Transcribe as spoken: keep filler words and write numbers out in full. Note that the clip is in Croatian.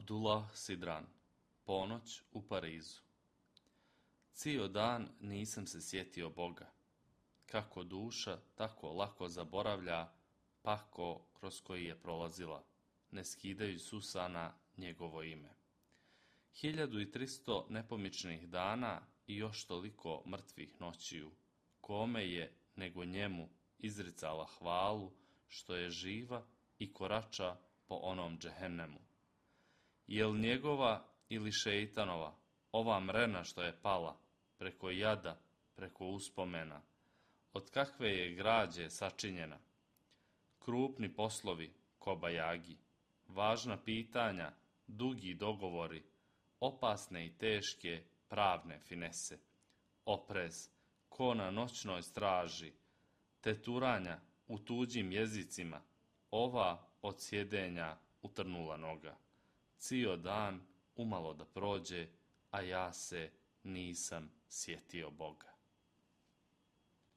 Abdullah Sidran, Ponoć u Parizu. Cijel dan nisam se sjetio Boga. Kako duša tako lako zaboravlja pako kroz koji je prolazila, ne skidajući s usana njegovo ime. Hiljadu i tristo nepomičnih dana i još toliko mrtvih noćiju, kome je nego njemu izricala hvalu što je živa i korača po onom džehennemu. Jel njegova ili šeitanova ova mrena što je pala preko jada, preko uspomena, od kakve je građe sačinjena? Krupni poslovi, kobajagi, važna pitanja, dugi dogovori, opasne i teške pravne finese, oprez, ko na noćnoj straži, teturanja u tuđim jezicima, ova od sjedenja utrnula noga. Cijel dan umalo da prođe, a ja se nisam sjetio Boga.